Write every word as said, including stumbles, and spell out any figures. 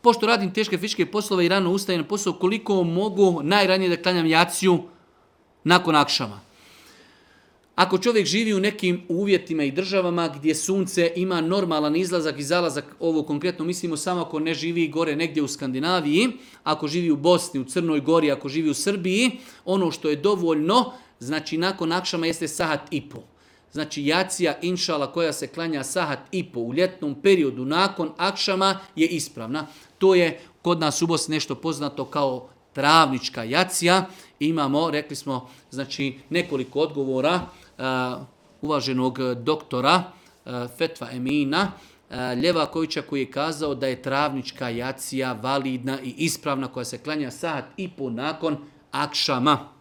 pošto radim teške fizičke poslove i rano ustajem na posao, koliko mogu najranije da klanjam jaciju nakon akšama. Ako čovjek živi u nekim uvjetima i državama gdje sunce ima normalan izlazak i zalazak, ovo konkretno mislimo samo ako ne živi gore negdje u Skandinaviji, ako živi u Bosni, u Crnoj Gori, ako živi u Srbiji, ono što je dovoljno, znači nakon akšama jeste sahat i po. Znači jacija inšala koja se klanja sahat i po u ljetnom periodu nakon akšama je ispravna. To je kod nas u Bosni nešto poznato kao travnička jacija. Imamo, rekli smo, znači nekoliko odgovora uh, uvaženog doktora uh, Fetva Emina uh, Ljevakovića koji je kazao da je travnička jacija validna i ispravna koja se klanja sahat i po nakon akšama.